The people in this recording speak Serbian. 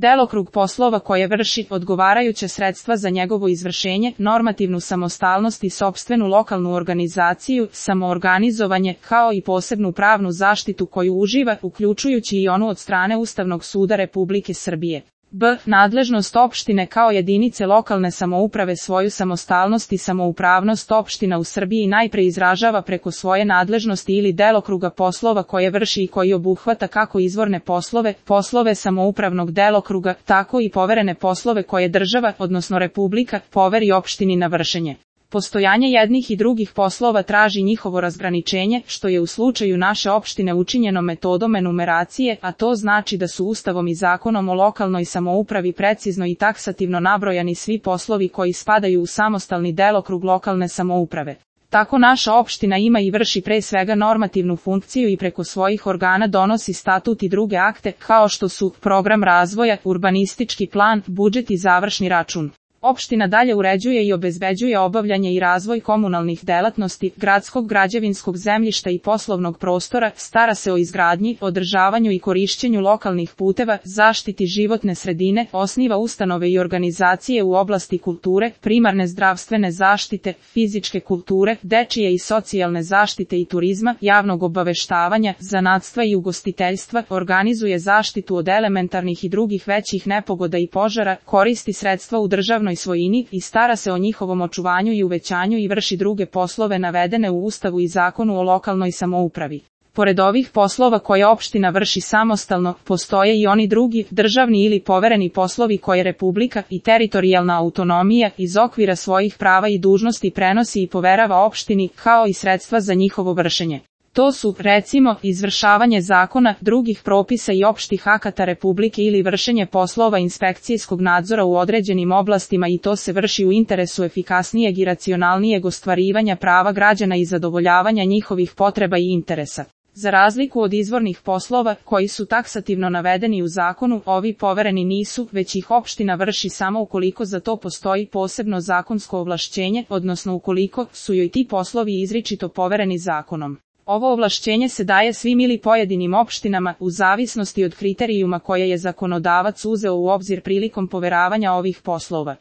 delokrug poslova koje vrši, odgovarajuće sredstva za njegovo izvršenje, normativnu samostalnost i sopstvenu lokalnu organizaciju, samoorganizovanje, kao i posebnu pravnu zaštitu koju uživa, uključujući i onu od strane Ustavnog suda Republike Srbije. B. Nadležnost opštine kao jedinice lokalne samouprave. Svoju samostalnost i samoupravnost opština u Srbiji najpre izražava preko svoje nadležnosti ili delokruga poslova koje vrši i koji obuhvata kako izvorne poslove, poslove samoupravnog delokruga, tako i poverene poslove koje država, odnosno Republika, poveri opštini na vršenje. Postojanje jednih i drugih poslova traži njihovo razgraničenje, što je u slučaju naše opštine učinjeno metodom enumeracije, a to znači da su Ustavom i Zakonom o lokalnoj samoupravi precizno i taksativno nabrojani svi poslovi koji spadaju u samostalni delokrug lokalne samouprave. Tako naša opština ima i vrši pre svega normativnu funkciju i preko svojih organa donosi statut i druge akte, kao što su program razvoja, urbanistički plan, budžet i završni račun. Opština dalje uređuje i obezbeđuje obavljanje i razvoj komunalnih delatnosti, gradskog građevinskog zemljišta i poslovnog prostora, stara se o izgradnji, održavanju i korišćenju lokalnih puteva, zaštiti životne sredine, osniva ustanove i organizacije u oblasti kulture, primarne zdravstvene zaštite, fizičke kulture, dečije i socijalne zaštite i turizma, javnog obaveštavanja, zanatstva i ugostiteljstva, organizuje zaštitu od elementarnih i drugih većih nepogoda i požara, koristi sredstva u državnoj svojini i stara se o njihovom očuvanju i uvećanju i vrši druge poslove navedene u Ustavu i Zakonu o lokalnoj samoupravi. Pored ovih poslova koje opština vrši samostalno, postoje i oni drugi, državni ili povereni poslovi koje Republika i teritorijalna autonomija iz okvira svojih prava i dužnosti prenosi i poverava opštini, kao i sredstva za njihovo vršenje. To su, recimo, izvršavanje zakona, drugih propisa i opštih akata Republike ili vršenje poslova inspekcijskog nadzora u određenim oblastima i to se vrši u interesu efikasnijeg i racionalnijeg ostvarivanja prava građana i zadovoljavanja njihovih potreba i interesa. Za razliku od izvornih poslova, koji su taksativno navedeni u zakonu, ovi povereni nisu, već ih opština vrši samo ukoliko za to postoji posebno zakonsko ovlašćenje, odnosno ukoliko su joj ti poslovi izričito povereni zakonom. Ovo ovlašćenje se daje svim ili pojedinim opštinama, u zavisnosti od kriterijuma koje je zakonodavac uzeo u obzir prilikom poveravanja ovih poslova.